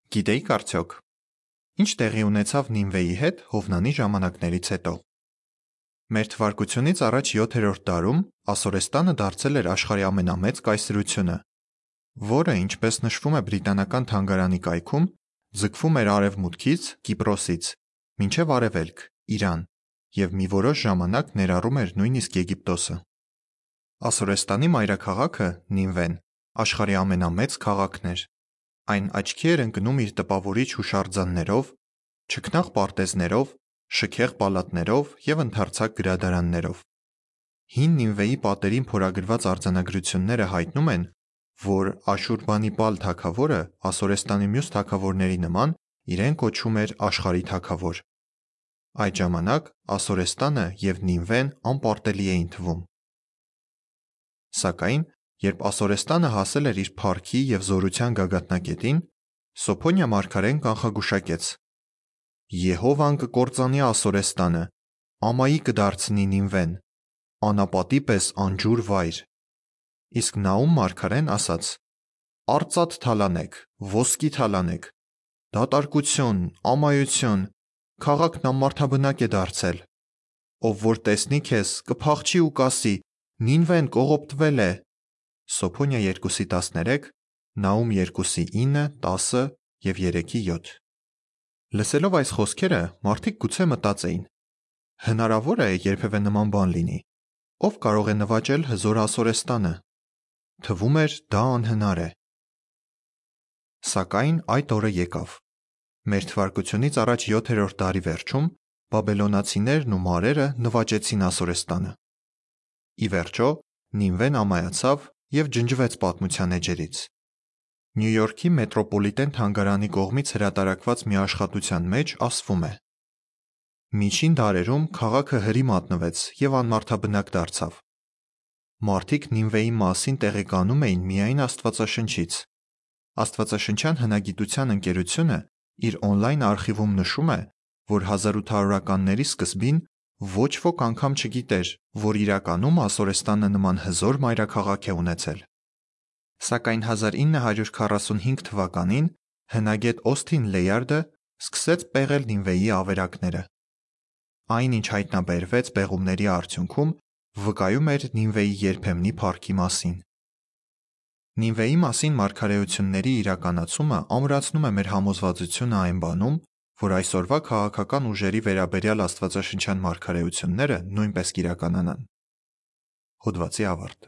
Գիտեիք արդյոք, ինչ տեղի ունեցավ Նինվեի հետ Հովնանի ժամանակներից հետո։ Մեր թվարկությունից առաջ 7-րդ դարում Ասորեստանը դարձել էր աշխարհի ամենամեծ կայսրությունը, որը, ինչպես նշվում է բրիտանական թանգարանի կայքում, ձգվում էր արևմուտքից Կիպրոսից մինչև արևելք Իրան և մի որոշ ժամանակ ներառում էր նույնիսկ Եգիպտոսը։ Ասորեստանի մայրաքաղաքը Նինվեն աշխարհի ամենամեծ քաղաքն էր։ Այն աչքի էր ընկնում իր տպավորիչ հուշարձաններով, չքնաղ պարտեզներով, շքեղ պալատներով և ընդարձակ գրադարաններով։ Հին Նինվեի պատերին փորագրված արձանագրությունները հայտնում են, որ Աշուրբանիպալ թագավորը Ասորեստանի մյուս թագավորների նման իրեն կոչում էր աշխարհի թագավոր։ Այդ ժամանակ Ասորեստանը և Նինվեն անպարտելի էին թվում։ Սակայն, երբ Ասորեստանը հասել էր իր փառքի և զորության գագաթնակետին, Սոփոնիա մարգարեն կանխագուշակեց. «Եհովան կկործանի Ասորեստանը, ամայի կդարձնի Նինվեն, անապատի պես անջուր վայր»։ Իսկ Նաում մարգարեն ասաց. «Արծաթ թալանեք, ոսկի թալանեք, դատարկություն, ամայություն, քաղաքն անմարդաբնակ է դարձել։ Ով որ տեսնի քեզ, կփախչի ու կասի. Նինվեն կողոպտվել է»։ Սոփոնիա 2:13, Նաում 2:9, 10 և 3:7։ Լսելով այս խոսքերը, մարդիկ գուցե մտածեին. հնարավոր է երբևէ նման բան լինի։ Ով կարող է նվաճել հզոր Ասորեստանը։ Թվում էր դա անհնար է։ Սակայն այդ օրը եկավ։ Մեր թվարկությունից առաջ 7-րդ դարի վերջում բաբելոնացիներն ու մարերը նվաճեցին Ասորեստանը։ Ի վերջո, Նինվեն ամայացավ և ջնջվեց պատմության էջերից։ Նյու Յորքի մետրոպոլիտեն թանգարանի կողմից հրատարակված մի աշխատության մեջ ասվում է. Միջին դարերում քաղաքը հրի մատնվեց և անմարդաբնակ դարձավ։ Մարդիկ Նինվեի մասին տեղեկանում էին միայն Աստվածաշնչից։ Աստվածաշնչյան հնագիտության ընկերությունը իր օնլայն արխիվում նշում է, որ 1800-ականների սկզբին ոչ ոք անգամ չգիտեր, որ իրականում Ասորեստանը նման հզոր մայրաքաղաք է ունեցել։ Սակայն 1945 թվականին հնագետ Օսթին Լեյարդը սկսեց պեղել Նինվեի ավերակները։ Այն, ինչ հայտնաբերվեց պեղումների արդյունքում, վկայում էր Նինվեի երբեմնի փառքի մասին։ Նինվեի մասին մարգարեությունների իրականացումը ամրացնում է մեր համոզվածությունը այն բանում, որ այսօրվա քաղաքական ուժերի վերաբերյալ աստվածաշնչյան մարգարեությունները նույնպես կիրականանան։ Հոդվացի ավարտ։